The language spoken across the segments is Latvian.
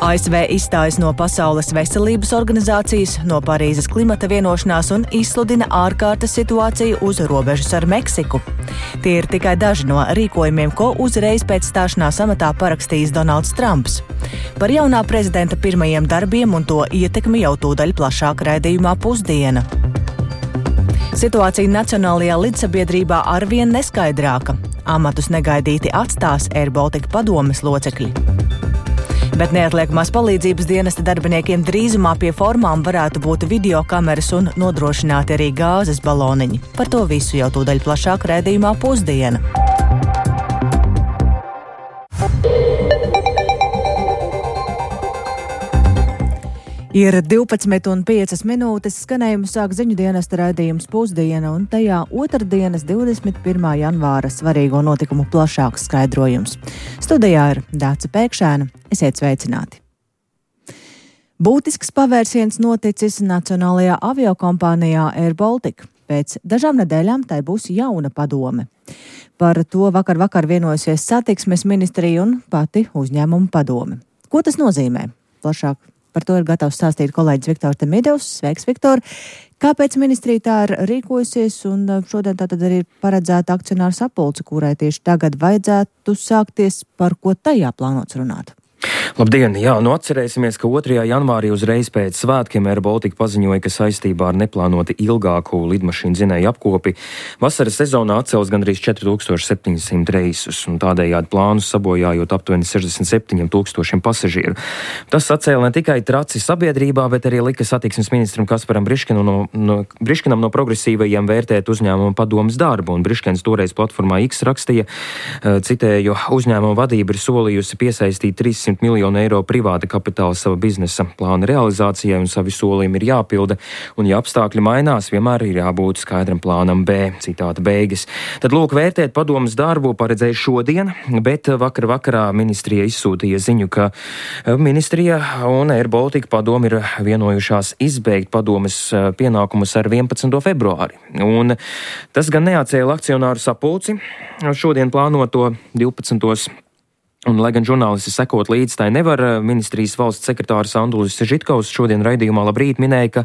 ASV izstājas no Pasaules veselības organizācijas, no Parīzes klimata vienošanās un izsludina ārkārtas situāciju uz robežas ar Meksiku. Tie ir tikai daži no rīkojumiem, ko uzreiz pēc stāšanās amatā parakstījis Donalds Trumps. Par jaunā prezidenta pirmajiem darbiem un to ietekmi jau tūdaļ plašāk raidījumā Pusdiena. Situācija Nacionālajā lidsabiedrībā arvien neskaidrāka. Amatus negaidīti atstās Air Baltica padomes locekļi. Bet neatliekamās palīdzības dienesta darbiniekiem drīzumā pie formām varētu būt videokameras un nodrošināti arī gāzes baloniņi. Par to visu jau tūdaļ plašāk raidījumā Pusdiena. Ir 12,5 minūtes, skanējumu sāk ziņu dienesta raidījums Pusdiena, un tajā otrdienas 21. janvāra svarīgo notikumu plašāks skaidrojums. Studijā ir Dāca Pēkšēna. Esiet sveicināti! Būtisks pavērsiens noticis Nacionālajā aviokompānijā Air Baltica. Pēc dažām nedēļām tai būs jauna padome. Par to vakar vienojusies satiksmes ministrija un pati uzņēmuma padome. Ko tas nozīmē? Plašāk par to ir gatavs stāstīt kolēģis Viktors Demidovs. Sveiks, Viktor! Kāpēc ministrija tā ir rīkojusies un šodien tātad arī paredzēta akcionāru sapulce, kurai tieši tagad vajadzētu sākties, par ko tajā plānots runāt? Labdien! Jā, atcerēsimies, ka 2. janvārī uzreiz pēc svētkiem Air Baltica paziņoja, ka saistībā ar neplānoti ilgāku lidmašīnu dzinēju apkopi vasaras sezonā atcels gandrīz 4700 reisus un tādējādi plānus sabojājot aptuveni 67,000 pasažieru. Tas sacēla ne tikai traci sabiedrībā, bet arī lika satiksmes ministram Kasparam Briškinam no progresīvajiem vērtēt uzņēmuma padomes darbu, un Briškins toreiz platformā X rakstīja, citēju, uzņēmuma vadība ir solījusi piesaistīt 300 miljonu eiro privāta kapitāla sava biznesa plāna realizācijai, un savi solījumi ir jāpilda, un ja apstākļi mainās, vienmēr ir jābūt skaidram plānam B. Citāta beigas. Tad lūk, vērtēt padomes darbu paredzēja šodien, bet vakarā ministrija izsūtīja ziņu, ka ministrija un Air Baltica padome ir vienojušās izbeigt padomes pienākumus ar 11. februāri. Un tas gan neatcēla akcionāru sapulci šodien plānoto 12. Un, lai gan žurnālisti sekot līdz tai nevar, ministrijas valsts sekretārs Andulis Žitkovs šodien raidījumā Labrīt minēja, ka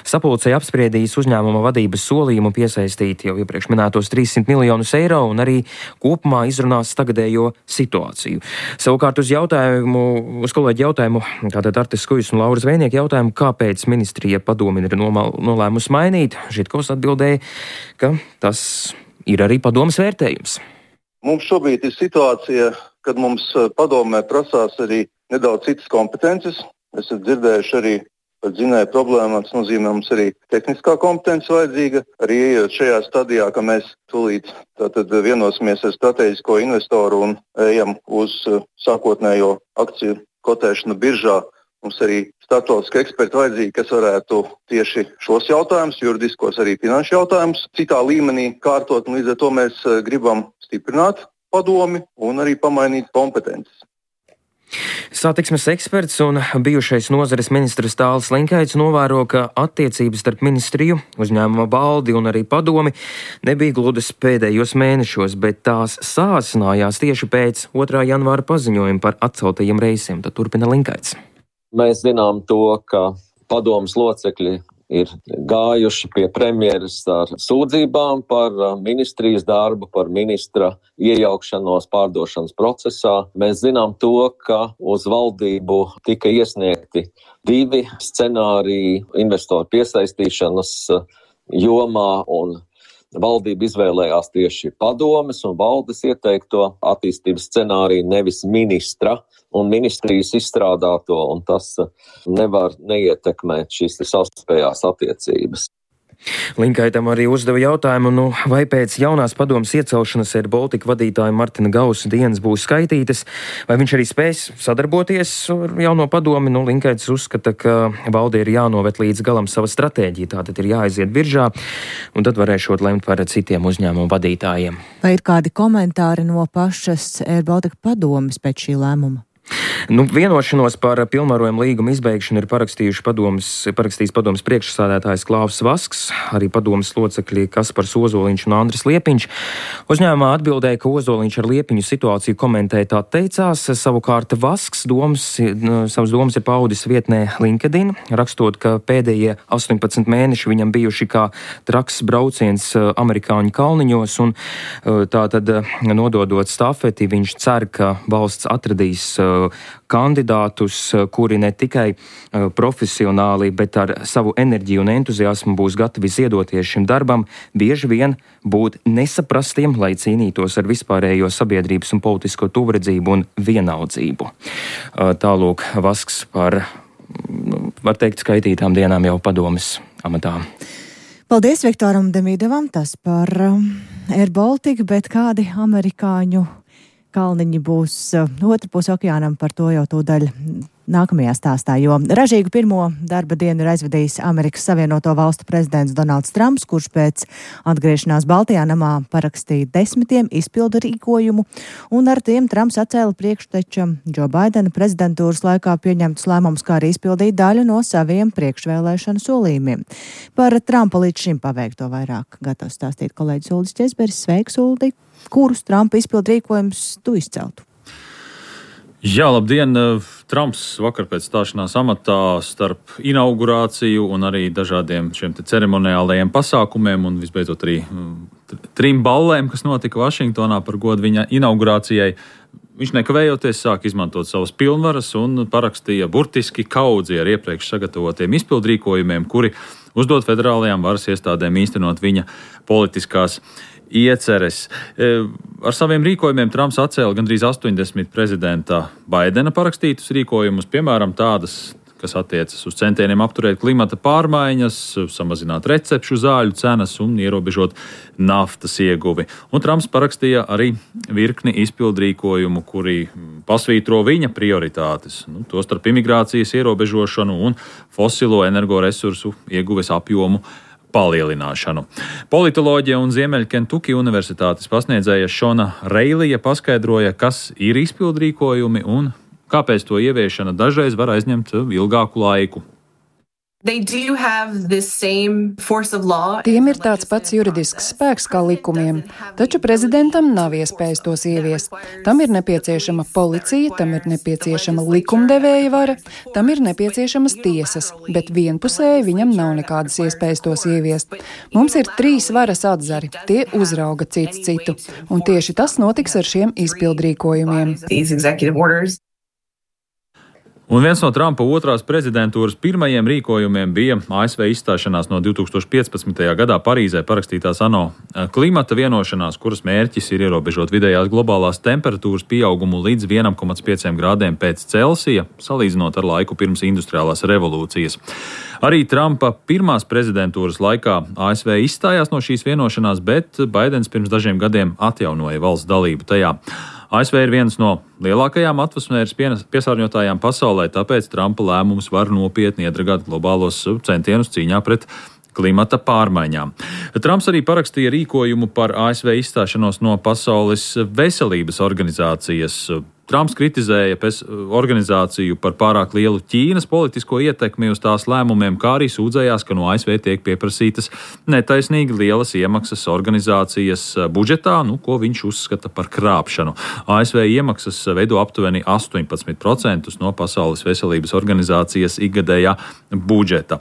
sapulcei apspriedīs uzņēmuma vadības solījumu piesaistīt jau iepriekš minētos 300 miljonus eiro un arī kopumā izrunās tagadējo situāciju. Savukārt uz kolēģi jautājumu, tātad Artis Skujs un Lauras Vēnieki jautājumu, kāpēc ministrija padomi ir nolēmusi mainīt, Žitkovs atbildēja, ka tas ir arī padomes vērtējums. Mums šobrīd ir situācija, kad mums padomē prasās arī nedaudz citas kompetences. Esat dzirdējuši arī par dzinēju problēmām, tas nozīmē mums arī tehniskā kompetence vajadzīga. Arī ejot šajā stadijā, ka mēs tūlīt tātad vienosimies ar strateģisko investoru un ejam uz sākotnējo akciju kotēšanu biržā. Mums arī starptautiski eksperti vajadzīgi, kas varētu tieši šos jautājumus, juridiskos arī finanšu jautājumus, citā līmenī kārtot, un līdz ar to mēs gribam stiprināt padomi un arī pamainīt kompetences. Satiksmes eksperts un bijušais nozares ministrs Tālis Linkaits novēro, ka attiecības starp ministriju, uzņēmuma valdi un arī padomi nebija gludas pēdējos mēnešos, bet tās sāsinājās tieši pēc 2. janvāra paziņojuma par atceltajiem reisiem. Tad turpina Linkaits. Mēs zinām to, ka padomes locekļi ir gājuši pie premjeras ar sūdzībām par ministrijas darbu, par ministra iejaukšanos pārdošanas procesā. Mēs zinām to, ka uz valdību tika iesniegti 2 scenāriji investoru piesaistīšanas jomā, un valdība izvēlējās tieši padomes un valdes ieteikto attīstības scenāriju, nevis ministra un ministrijas izstrādāto, un tas nevar neietekmēt šīs savstarpējās attiecības. Linkaitam arī uzdeva jautājumu, vai pēc jaunās padomes iecelšanas Air Baltica vadītāja Martina Gausa dienas būs skaitītas, vai viņš arī spēs sadarboties ar jauno padomi. Linkaits uzskata, ka valde ir jānovet līdz galam sava stratēģija, tātad ir jāaiziet biržā, un tad varēšot lemt par citiem uzņēmumu vadītājiem. Vai ir kādi komentāri no pašas Air Baltica padomes pēc šī lēmuma? Vienošanos par pilnvarojumu līgumu izbeigšanu ir parakstījis padomes priekšsādātājs Klaus Vasks, arī padomes locekļi Kaspars Ozoliņš un Andris Liepiņš. Uzņēmumā atbildēja, ka Ozoliņš ar Liepiņu situāciju komentēja tā teicās, savukārt Vasks savas domas ir paudis vietnē LinkedIn, rakstot, ka pēdējie 18 mēneši viņam bijuši kā traks brauciens amerikāņu kalniņos, un tātad nododot stafeti, viņš cer, ka valsts atradīs kandidātus, kuri ne tikai profesionāli, bet ar savu enerģiju un entuziasmu būs gatavi ziedoties šim darbam, bieži vien būt nesaprastiem, lai cīnītos ar vispārējo sabiedrības un politisko tuvredzību un vienaldzību. Tālūk Vasks par, var teikt, skaitītām dienām jau padomes amatā. Paldies Viktoram Demīdovam, tas par Air Baltica, bet kādi amerikāņu kalniņi būs otrpus okeānam, par to jau tūdaļ nākamajā stāstā, jo ražīgu pirmo darba dienu ir aizvadījis Amerikas Savienoto Valstu prezidents Donalds Trumps, kurš pēc atgriešanās Baltajā namā parakstīja 10 izpildu rīkojumu, un ar tiem Trumps atcēla priekšteča Džo Baidena prezidentūras laikā pieņemtus lēmumus, kā arī izpildīt daļu no saviem priekšvēlēšanu solījumiem. Par Trumpa līdz šim paveikto vairāk gatavs stāstīt kolēģis Uldis Česberis. Sveiks, Uldi! Kurus Trumpa izpildu rīkojumus tu izceltu? Jā, labdien! Trumps vakar pēc stāšanās amatā starp inaugurāciju un arī dažādiem šiem ceremoniālajiem pasākumiem un visbeidzot arī 3 ballēm, kas notika Vašingtonā par godu viņa inaugurācijai, viņš nekavējoties sāk izmantot savas pilnvaras un parakstīja burtiski kaudzi ar iepriekš sagatavotiem izpildrīkojumiem, kuri uzdod federālajām varas iestādēm īstenot viņa politiskās ieceres. Ar saviem rīkojumiem Trumps atcēla gandrīz 80 prezidenta Baidena parakstītus rīkojumus, piemēram, tādas, kas attiecas uz centieniem apturēt klimata pārmaiņas, samazināt recepšu zāļu cenas un ierobežot naftas ieguvi. Un Trumps parakstīja arī virkni izpildrīkojumu, kuri pasvītro viņa prioritātes, tostarp imigrācijas ierobežošanu un fosilo energoresursu ieguves apjomu palielināšanu. Politoloģija un Ziemeļkentuki universitātes pasniedzēja Šona Reilija paskaidroja, kas ir izpildrīkojumi un kāpēc to ieviešana dažreiz var aizņemt ilgāku laiku. Tiem ir tāds pats juridisks spēks kā likumiem, taču prezidentam nav iespējas tos ieviest. Tam ir nepieciešama policija, tam ir nepieciešama likumdevēja vara, tam ir nepieciešamas tiesas, bet vienpusēji viņam nav nekādas iespējas tos ieviest. Mums ir 3 varas atzari, tie uzrauga cits citu, un tieši tas notiks ar šiem izpildrīkojumiem. Un viens no Trumpa otrās prezidentūras pirmajiem rīkojumiem bija ASV izstāšanās no 2015. gadā Parīzē parakstītās ANO klimata vienošanās, kuras mērķis ir ierobežot vidējās globālās temperatūras pieaugumu līdz 1,5 grādiem pēc Celsija, salīdzinot ar laiku pirms industriālās revolūcijas. Arī Trumpa pirmās prezidentūras laikā ASV izstājās no šīs vienošanās, bet Baidens pirms dažiem gadiem atjaunoja valsts dalību tajā. ASV ir viens no lielākajām atmosfēras piesārņotājām pasaulē, tāpēc Trumpa lēmums var nopietni iedragāt globālos centienus cīņā pret klimata pārmaiņām. Trumps arī parakstīja rīkojumu par ASV izstāšanos no Pasaules veselības organizācijas. Trumps kritizēja organizāciju par pārāk lielu Ķīnas politisko ietekmi uz tās lēmumiem, kā arī sūdzējās, ka no ASV tiek pieprasītas netaisnīgi lielas iemaksas organizācijas budžetā, ko viņš uzskata par krāpšanu. ASV iemaksas veido aptuveni 18% no Pasaules veselības organizācijas ikgadējā budžeta.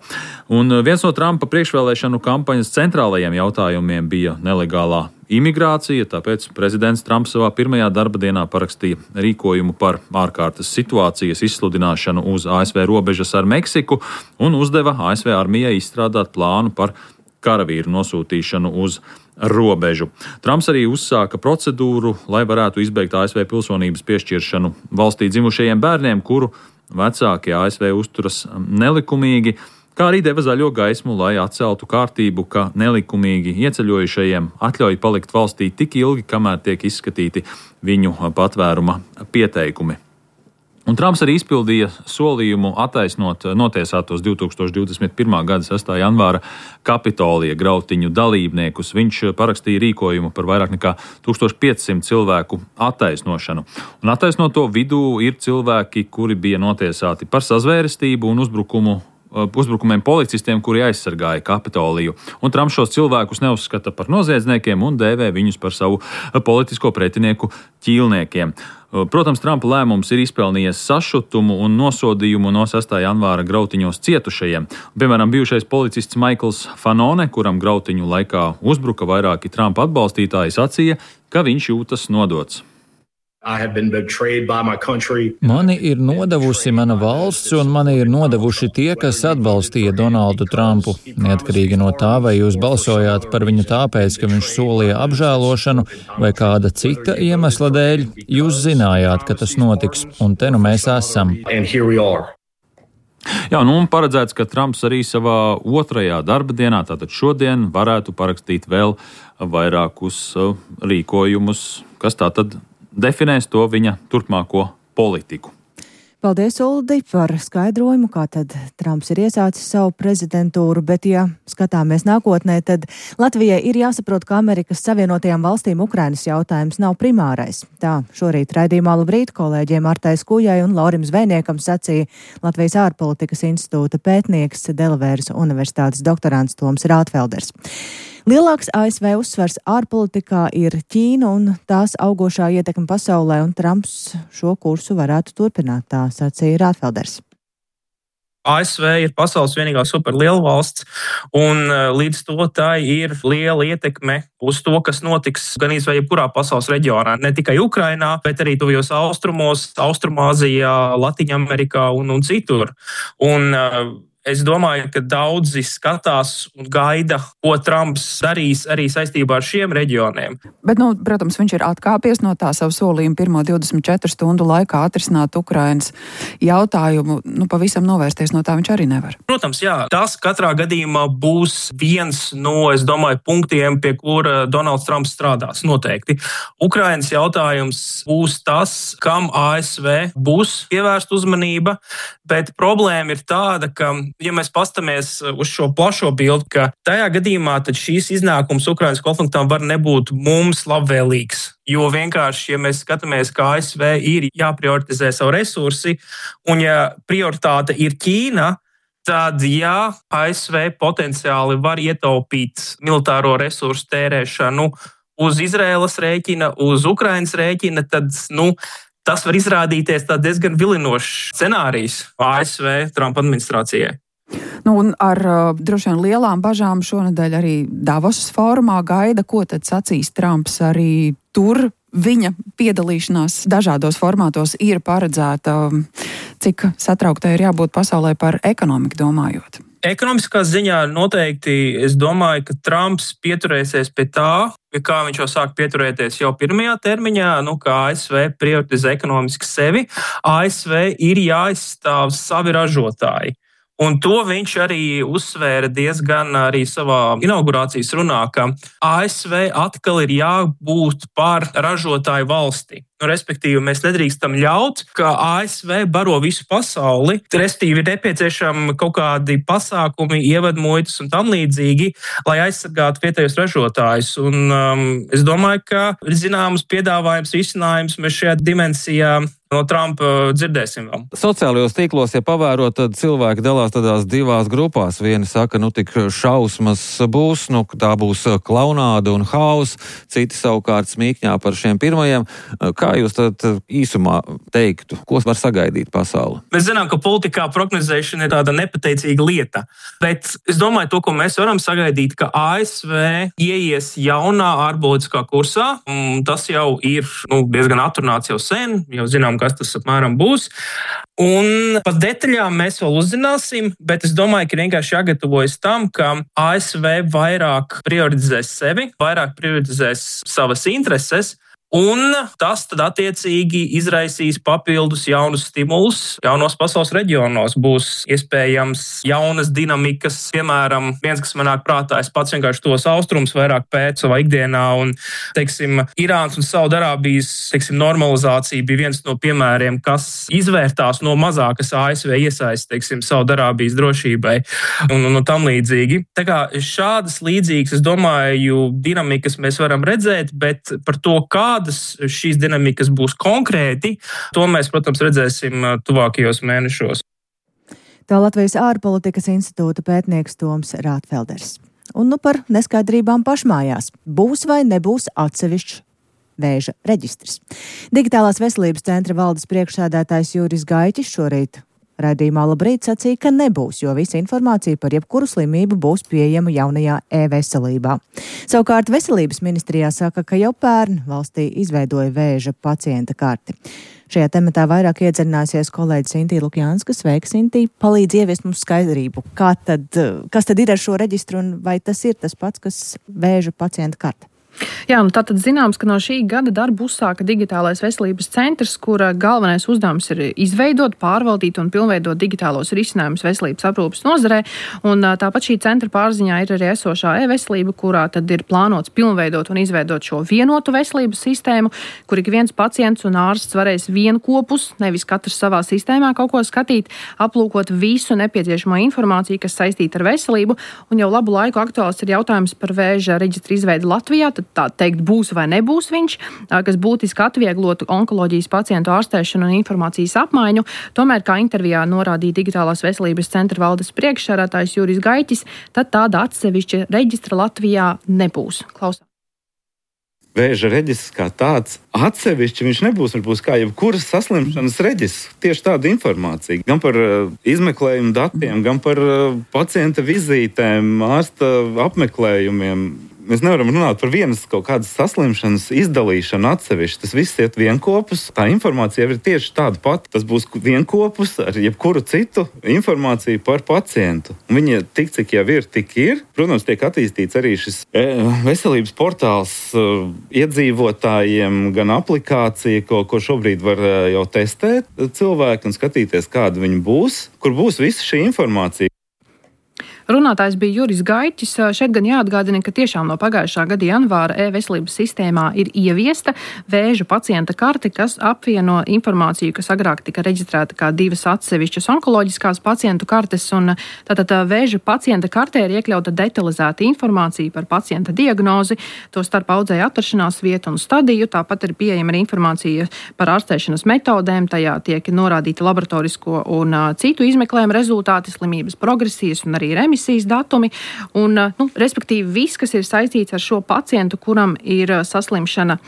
Un viens no Trumpa priekšvēlēšanu kampaņas centrālajiem jautājumiem bija nelegālā imigrācija, tāpēc prezidents Trumps savā pirmajā darba dienā parakstīja rīkojumu par ārkārtas situācijas izsludināšanu uz ASV robežas ar Meksiku un uzdeva ASV armijai izstrādāt plānu par karavīru nosūtīšanu uz robežu. Trumps arī uzsāka procedūru, lai varētu izbeigt ASV pilsonības piešķiršanu valstī dzimušajiem bērniem, kuru vecāki ASV uzturas nelikumīgi, kā arī deva zaļo gaismu, lai atceltu kārtību, ka nelikumīgi ieceļojušajiem atļauj palikt valstī tik ilgi, kamēr tiek izskatīti viņu patvēruma pieteikumi. Un Trumps arī izpildīja solījumu attaisnot notiesātos 2021. gada 6. janvāra Kapitolija grautiņu dalībniekus. Viņš parakstīja rīkojumu par vairāk nekā 1500 cilvēku attaisnošanu. Un attaisnoto vidū ir cilvēki, kuri bija notiesāti par sazvērestību un uzbrukumiem policistiem, kuri aizsargāja Kapitoliju. Un Trumps šos cilvēkus neuzskata par noziedzniekiem un dēvē viņus par savu politisko pretinieku ķīlniekiem. Protams, Trumpa lēmums ir izpelnījies sašutumu un nosodījumu no 6. janvāra grautiņos cietušajiem. Piemēram, bijušais policists Maikls Fanone, kuram grautiņu laikā uzbruka vairāki Trumpa atbalstītāji, sacīja, ka viņš jūtas nodots. Mani ir nodevusi mana valsts, un mani ir nodevuši tie, kas atbalstīja Donaldu Trumpu. Neatkarīgi no tā, vai jūs balsojāt par viņu tāpēc, ka viņš solīja apžēlošanu, vai kāda cita iemesla dēļ, jūs zinājāt, ka tas notiks, un te nu mēs esam. Jā, un paredzēts, ka Trumps arī savā otrajā darba dienā, tātad šodien, varētu parakstīt vēl vairākus rīkojumus, kas tātad definēs to viņa turpmāko politiku. Paldies, Uldi, par skaidrojumu, kā tad Trumps ir iesācis savu prezidentūru, bet, ja skatāmies nākotnē, tad Latvijai ir jāsaprot, ka Amerikas Savienotajām valstīm Ukrainas jautājums nav primārais. Tā šorīt raidījumā Labrīt kolēģiem Artai Skujai un Laurim Zvejniekam sacīja Latvijas ārpolitikas institūta pētnieks Delavēras universitātes doktorants Toms Rātfelders. Lielāks ASV uzsvars ārpolitikā ir Ķīna un tās augošā ietekme pasaulē, un Trumps šo kursu varētu turpināt, tā sacīja Rātfelders. ASV ir pasaules vienīgā superliela valsts, un līdz to tā ir liela ietekme uz to, kas notiks gan izvēj jebkurā pasaules reģionā. Ne tikai Ukrainā, bet arī tuvajos austrumos, Austrumāzijā, Latviņamerikā un citur. Es domāju, ka daudzi skatās un gaida, ko Trumps darīs arī saistībā ar šiem reģioniem. Bet, protams, viņš ir atkāpies no tā savu solījumu pirmo 24 stundu laikā atrisināt Ukrainas jautājumu. Pavisam novērsties no tā viņš arī nevar. Protams, jā. Tas katrā gadījumā būs viens no, es domāju, punktiem, pie kura Donalds Trumps strādās noteikti. Ukrainas jautājums būs tas, kam ASV būs pievērsta uzmanība, bet problēma ir tāda, ka ja mēs pastamies uz šo plašo bildi, ka tajā gadījumā tad šīs iznākums Ukrainas konfliktam var nebūt mums labvēlīgs. Jo vienkārši, ja mēs skatāmies, ka ASV ir jāprioritizē savu resursi, un ja prioritāte ir Ķīna, tad jā, ASV potenciāli var ietaupīt militāro resursu tērēšanu uz Izraēlas rēķina, uz Ukrainas rēķina, tad, tas var izrādīties diezgan vilinošs scenārijs ASV Trumpa administrācijai. Un ar droši vien lielām bažām šonedēļ arī Davosas fórumā gaida, ko tad sacīs Trumps. Arī tur viņa piedalīšanās dažādos formātos ir paredzēta, cik satrauktai ir jābūt pasaulē par ekonomiku domājot. Ekonomiskā ziņā noteikti es domāju, ka Trumps pieturēsies pie tā, pie kā viņš jau sāk pieturēties jau pirmajā termiņā, ka ASV prioritizē ekonomiski sevi. ASV ir jāizstāv savi ražotāji. Un to viņš arī uzsvēra diezgan arī savā inaugurācijas runā, ka ASV atkal ir jābūt par ražotāju valsti. Respektīvi, mēs nedrīkstam ļaut, ka ASV baro visu pasauli, respektīvi ir nepieciešami kaut kādi pasākumi, ievadmuitas un tam līdzīgi, lai aizsargātu vietējos ražotājus. Un es domāju, ka ir zināms piedāvājums, risinājums mēs šajā dimensijā no Trumpa dzirdēsim vēl. Sociālajos tīklos, ja pavērot, tad cilvēki dalās tādās divās grupās. Vieni saka, tik šausmas būs, tā būs klaunāda un hauss, citi savukārt smīkņā par šiem pirmajiem. Kā jūs tad īsumā teiktu, ko var sagaidīt pasauli? Mēs zinām, ka politikā prognozēšana ir tāda nepateicīga lieta, bet es domāju, to, ko mēs varam sagaidīt, ka ASV ieies jaunā ārpolitiskā kursā, un tas jau ir diezgan atrunāts jau sen, jau zinām, kas tas apmēram būs. Un par detaļām mēs vēl uzzināsim, bet es domāju, ka vienkārši jāgatavojas tam, ka ASV vairāk prioritizēs sevi, vairāk prioritizēs savas intereses, Un tas tad attiecīgi izraisīs papildus jaunus stimulus. Jaunos pasaules reģionos būs iespējams jaunas dinamikas. Piemēram, viens, kas man nāk prātā, es pats vienkārši tos austrumus vairāk pētu savā ikdienā. Un, Irānas un Saudarābijas, normalizācija bija viens no piemēriem, kas izvērtās no mazākas ASV iesaistes, Saudarābijas drošībai un tam līdzīgi. Tā kā šādas līdzīgas, es domāju, dinamikas mēs varam redzēt, bet par to, kādas šīs dinamikas būs konkrēti, to mēs, protams, redzēsim tuvākajos mēnešos. Tā Latvijas ārpolitikas institūta pētnieks Toms Rātfelders. Un par neskaidrībām pašmājās. Būs vai nebūs atsevišķs vēža reģistrs. Digitālās veselības centra valdes priekšsēdētājs Juris Gaiķis šorīt raidījumā Labrīt sacīja, ka nebūs, jo visa informācija par jebkuru slimību būs pieejama jaunajā e-veselībā. Savukārt veselības ministrijā saka, ka jau pērn valstī izveidoja vēža pacienta karti. Šajā tematā vairāk iedziļināsies kolēģis Intī Lukjānska. Sveika, Intī! Palīdz ieviest mums skaidrību. Kas tad ir ar šo reģistru un vai tas ir tas pats, kas vēža pacienta karte? Jā, tātad zināms, ka no šī gada darbu uzsāka Digitālais veselības centrs, kura galvenais uzdevums ir izveidot, pārvaldīt un pilnveidot digitālos risinājumus veselības aprūpes nozarē. Un tāpat šī centra pārziņā ir arī esošā e-veselība, kurā tad ir plānots pilnveidot un izveidot šo vienotu veselības sistēmu, kur ik viens pacients un ārsts varēs vienkopus, nevis katrs savā sistēmā kaut ko skatīt, aplūkot visu nepieciešamo informāciju, kas saistīta ar veselību. Un jau labu laiku aktuāls ir jautājums par vēža reģistra izveidi Latvijā. Tā teikt, būs vai nebūs viņš, kas būtiski atvieglotu onkoloģijas pacientu ārstēšanu un informācijas apmaiņu. Tomēr, kā intervijā norādīja Digitālās veselības centra valdes priekšsēdētājs Juris Gaiķis, tad tāda atsevišķa reģistra Latvijā nebūs. Klausām. Vēža reģistrs kā tāds atsevišķi viņš nebūs. Viņš būs kā jebkuras saslimšanas reģistrs. Tieši tāda informācija. Gan par izmeklējumu datiem, gan par pacienta vizītēm, ārsta apmeklējumiem. Mēs nevaram runāt par vienas kaut kādas saslimšanas izdalīšanu atsevišķi. Tas viss iet vienkopus. Tā informācija jau ir tieši tāda pati. Tas būs vienkopus ar jebkuru citu informāciju par pacientu. Un viņi tik, cik jau ir, tik ir. Protams, tiek attīstīts arī šis veselības portāls iedzīvotājiem, gan aplikācija, ko šobrīd var jau testēt cilvēki un skatīties, kāda viņi būs, kur būs visa šī informācija. Runātājs bija Juris Gaiķis. Šeit gan jāatgādina, ka tiešām no pagājušā gada janvāra e-veselības sistēmā ir ieviesta vēža pacienta karte, kas apvieno informāciju, kas agrāk tika reģistrēta kā divas atsevišķas onkoloģiskās pacientu kartes. Un tātad vēža pacienta kartē ir iekļauta detalizēta informācija par pacienta diagnozi, to starp audzēju atrašanās vietu un stadiju. Tāpat ir pieejama arī informācija par ārstēšanas metodēm. Tajā tiek norādīta laboratorisko un citu izmeklējumu rezultāti, slimības progresijas un arī remisijas datumi, un, respektīvi, viss, kas ir saistīts ar šo pacientu, kuram ir saslimšana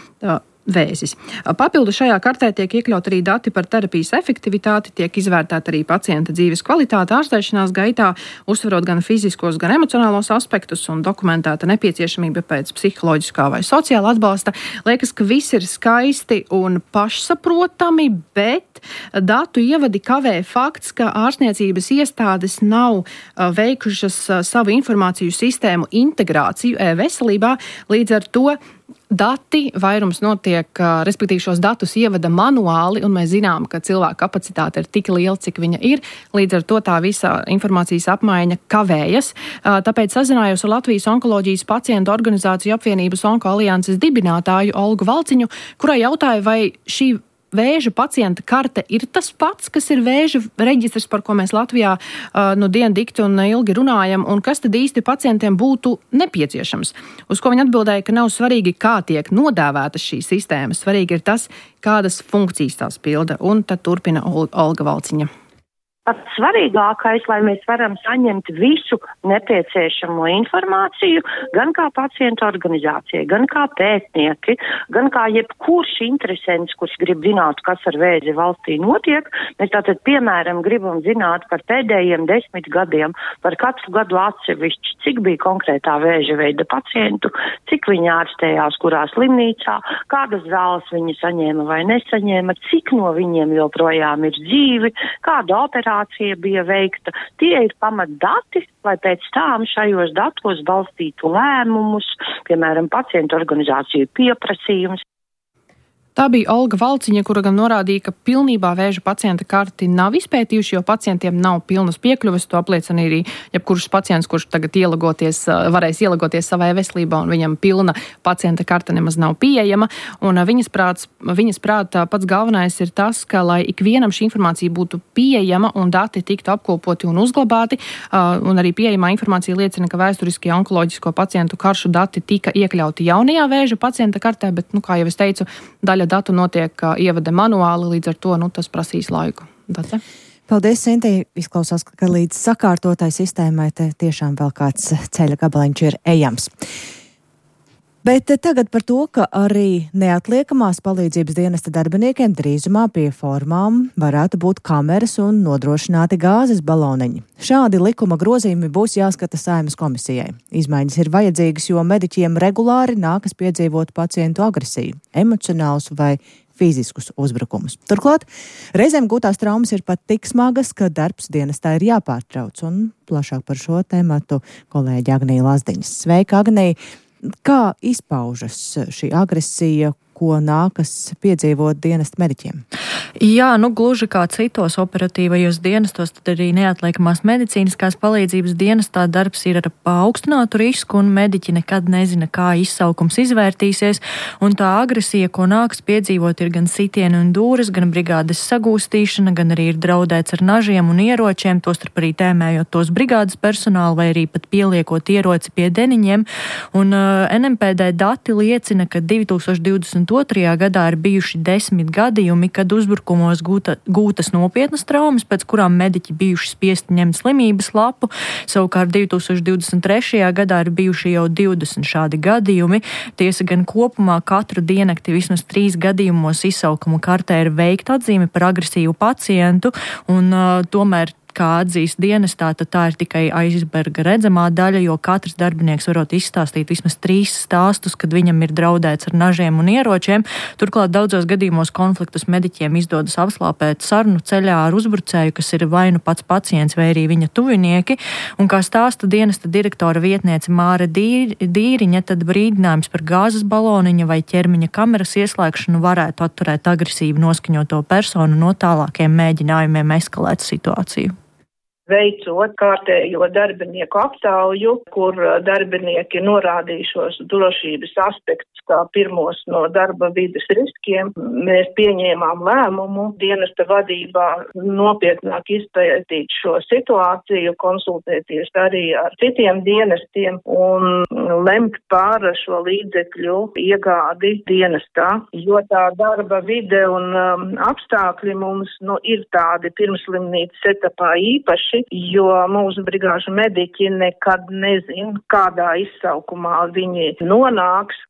vēzis. Papildu šajā kartē tiek iekļaut arī dati par terapijas efektivitāti, tiek izvērtēta arī pacienta dzīves kvalitāte ārstēšanās gaitā, uzsverot gan fiziskos, gan emocionālos aspektus un dokumentēta nepieciešamība pēc psiholoģiskā vai sociāla atbalsta. Liekas, ka viss ir skaisti un pašsaprotami, bet datu ievadi kavē fakts, ka ārstniecības iestādes nav veikušas savu informāciju sistēmu integrāciju e-veselībā, līdz ar to dati vairums notiek, respektīvi šos datus ievada manuāli, un mēs zinām, ka cilvēka kapacitāte ir tik liela, cik viņa ir. Līdz ar to tā visa informācijas apmaiņa kavējas. Tāpēc sazinājos ar Latvijas onkoloģijas pacientu organizāciju apvienības Onko alianses dibinātāju Olgu Valciņu, kurai jautāja, vai šī vēža pacienta karte ir tas pats, kas ir vēža reģistrs, par ko mēs Latvijā dienu dikti un ilgi runājam, un kas tad īsti pacientiem būtu nepieciešams. Uz ko viņi atbildēja, ka nav svarīgi, kā tiek nodēvētas šīs sistēmas, svarīgi ir tas, kādas funkcijas tās pilda, un tad turpina Olga Valciņa. Pats svarīgākais, lai mēs varam saņemt visu nepieciešamo informāciju, gan kā pacientu organizācija, gan kā pētnieki, gan kā jebkurš interesants, kurš grib zināt, kas ar vēzi valstī notiek. Mēs tātad, piemēram, gribam zināt par pēdējiem 10 gadiem, par katru gadu atsevišķi, cik bija konkrētā vēža veida pacientu, cik viņi ārstējās, kurā slimnīcā, kādas zāles viņi saņēma vai nesaņēma, cik no viņiem joprojām ir dzīvi, kāda operācija bija veikta. Tie ir pamatdati, lai pēc tām šajos datos balstītu lēmumus, piemēram, pacientu organizāciju pieprasījums. Tā bija Olga Valciņa, kura gan norādīja, ka pilnībā vēža pacienta karti nav izpētījuši, jo pacientiem nav pilnas piekļuves. To apliecina arī jebkurš pacients, kurš tagad varēs ielagoties savā veselībā, un viņam pilna pacienta karta nemaz nav pieejama. Un viņas prātā pats galvenais ir tas, ka, lai ikvienam šī informācija būtu pieejama un dati tiktu apkopoti un uzglabāti, un arī pieejamā informācija liecina, ka vēsturiskie onkoloģisko pacientu karšu dati tika iekļauti jaunajā vēža pacienta kartē, bet, kā jau es teicu, daļa datu notiek ievada manuāli, līdz ar to tas prasīs laiku. Dace? Paldies, Sintī. Izklausās, ka līdz sakārtotai sistēmai te tiešām vēl kāds ceļa gabaliņš ir ejams. Bet tagad par to, ka arī neatliekamās palīdzības dienesta darbiniekiem drīzumā pie formām varētu būt kameras un nodrošināti gāzes baloniņi. Šādi likuma grozījumi būs jāskata Saeimas komisijai. Izmaiņas ir vajadzīgas, jo mediķiem regulāri nākas piedzīvot pacientu agresiju, emocionālus vai fiziskus uzbrukumus. Turklāt reizēm gūtās traumas ir pat tik smagas, ka darbs dienestā ir jāpārtrauc. Un plašāk par šo tēmatu kolēģi Agnija Lazdiņas. Sveika, Agnija! Kā izpaužas šī agresija, ko nākas piedzīvot dienesta mediķiem? Jā, gluži kā citos operatīvajos dienestos, tad arī neatliekamās medicīniskās palīdzības dienestā darbs ir ar paaugstinātu risku, un mediķi nekad nezina, kā izsaukums izvērtīsies, un tā agresija, ko nākas piedzīvot, ir gan sitieni un dūres, gan brigādes sagūstīšana, gan arī ir draudēts ar nažiem un ieročiem, tostarp arī tēmējot tos brigādes personālu vai arī pat pieliekot ieroci pie deniņiem, un NMPD dati liecina, ka 2022. gadā ir bijuši 10 gadījumi, kad uzbrukumos gūtas nopietnas traumas, pēc kurām mediķi bijuši spiesti ņemt slimības lapu. Savukārt 2023. gadā ir bijuši jau 20 šādi gadījumi. Tiesa gan kopumā katru diennakti vismaz 3 gadījumos izsaukumu kartē ir veikta atzīme par agresīvu pacientu, un tomēr kā atzīst dienestā, tad tā ir tikai aizberga redzamā daļa, jo katrs darbinieks varot izstāstīt vismaz 3 stāstus, kad viņam ir draudēts ar nažiem un ieročiem. Turklāt daudzos gadījumos konfliktus mediķiem izdodas apslāpēt sarunu ceļā ar uzbrucēju, kas ir vai nu pats pacients vai arī viņa tuvinieki. Un kā stāsta dienesta direktora vietniece Māra Dīriņa, tad brīdinājums par gāzes baloniņa vai ķermeņa kameras ieslēgšanu varētu atturēt agresīvi noskaņoto personu no tālākiem mēģinājumiem eskalēt situāciju. Veicot kārtējo darbinieku aptauju, kur darbinieki norādījušos drošības aspektus kā pirmos no darba vides riskiem, mēs pieņēmām lēmumu dienesta vadībā nopietnāk izpētīt šo situāciju, konsultēties arī ar citiem dienestiem un lemt par šo līdzekļu iegādi dienestā, jo tā darba vide un apstākļi mums ir tādi pirmslimnīcas etapā īpaši, jo mūsu brigāžu mediķi nekad nezin, kādā izsaukumā viņi nonāks.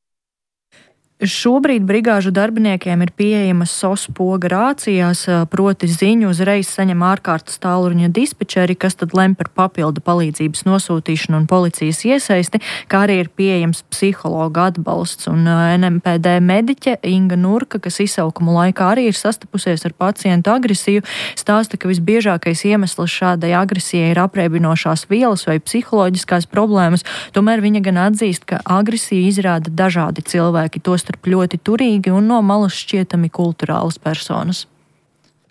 Šobrīd brigāžu darbiniekiem ir pieejamas SOS poga rācijās, proti ziņu uzreiz saņem ārkārtas tālruņa dispečeri, kas tad lem par papildu palīdzības nosūtīšanu un policijas iesaisti, kā arī ir pieejams psihologa atbalsts. Un NMPD mediķe Inga Nurka, kas izsaukumu laikā arī ir sastapusies ar pacientu agresiju, stāsta, ka visbiežākais iemesls šādai agresijai ir apreibinošās vielas vai psiholoģiskās problēmas, tomēr viņa gan atzīst, ka agresiju izrāda dažādi cilvēki, tostarp ļoti turīgi un no malas šķietami kulturālas personas.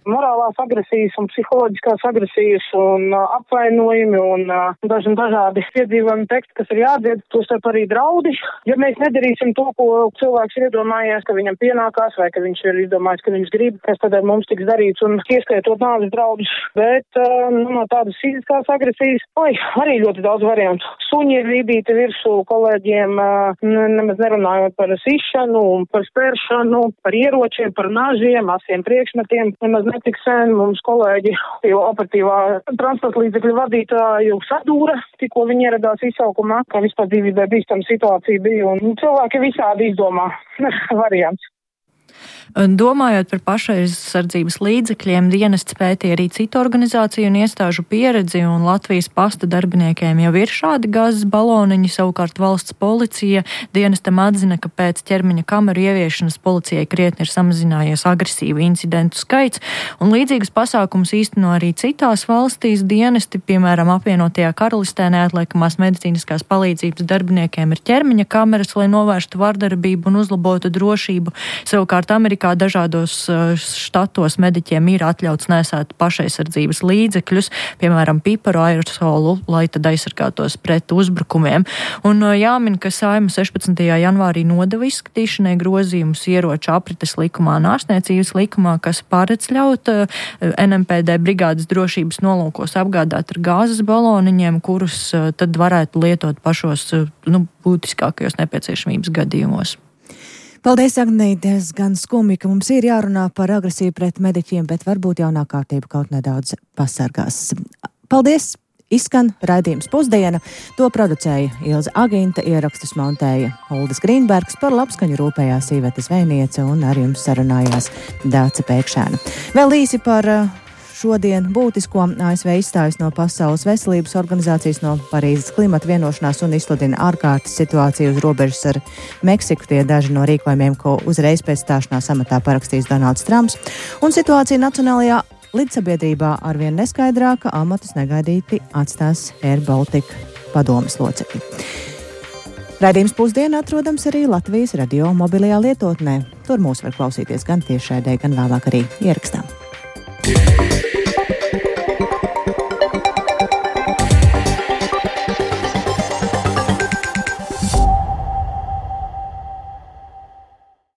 Morālās agresijas un psiholoģiskās agresijas un apvainojumi un dažādi piedzīvojumi teksti, kas ir jādzied, tostarp arī draudi. Ja mēs nedarīsim to, ko cilvēks ir iedomājies, ka viņam pienākās vai ka viņš ir izdomājis, ka viņš grib, kas tad ar mums tiks darīts un ieskaitot nāves draudus. Bet no tādas fiziskās agresijas, arī ļoti daudz variantu. Suņi ir rīdīti virsū kolēģiem, nemaz nerunājot par sišanu, par spēršanu, par ieročiem, par nažiem, asiem priekšmetiem. Nemaz netik sen mums kolēģi operatīvā transporta līdzekļu vadītāju sadūra, tikko viņi ieradās izsaukumā, ka vispār dzīvībai bīstama situācija bija, un cilvēki visādi izdomā variants. Domājot par pašaizsardzības līdzekļiem, dienests pētīja arī citu organizāciju un iestāžu pieredzi, un Latvijas pasta darbiniekiem jau ir šādi gāzes baloniņi, savukārt valsts policija dienestam atzina, ka pēc ķermeņa kameru ieviešanas policijai krietni ir samazinājies agresīvu incidentu skaits, un līdzīgas pasākumus īsteno arī citās valstīs dienesti, piemēram, apvienotajā karalistē neatliekamās medicīniskās palīdzības darbiniekiem ir ķermeņa kameras, lai novērstu vardarbību un uzlabotu drošību, savukārt Savukārt Amerikā dažādos štatos mediķiem ir atļauts nesēt pašaizsardzības līdzekļus, piemēram, piparu aerosolu, lai tad aizsargātos pret uzbrukumiem. Un jāmin, ka Saeima 16. janvārī nodeva izskatīšanai grozījumus ieroču aprites likumā un ārstniecības likumā, kas paredz ļaut NMPD brigādes drošības nolūkos apgādāt ar gāzes baloniņiem, kurus tad varētu lietot pašos būtiskākajos nepieciešamības gadījumos. Paldies, Agnī, diezgan skumji, ka mums ir jārunā par agresiju pret mediķiem, bet varbūt jaunā kārtība kaut nedaudz pasargās. Paldies! Izskan raidījums Pusdiena. To producēja Ilze Agīnta, ierakstus montēja Uldis Grīnbergs, par labskaņu rūpējās Iveta Zvejniece un ar jums sarunājās Dāce Pēkšēna. Vēl īsi par šodien būtisko. ASV izstājas no Pasaules veselības organizācijas, no Parīzes klimata vienošanās un izsludina ārkārtas situāciju uz robežas ar Meksiku. Tie daži no rīkojumiem, ko uzreiz pēc stāšanās amatā parakstīs Donalds Trumps. Un situācija nacionālajā līdzsabiedrībā arvien neskaidrāka, amatus negaidīti atstās Air Baltica padomes locekļi. Raidījums Pusdiena atrodams arī Latvijas radio mobilajā lietotnē. Tur mūs var klausīties gan tiešraidē, gan vēlāk arī ierakstā.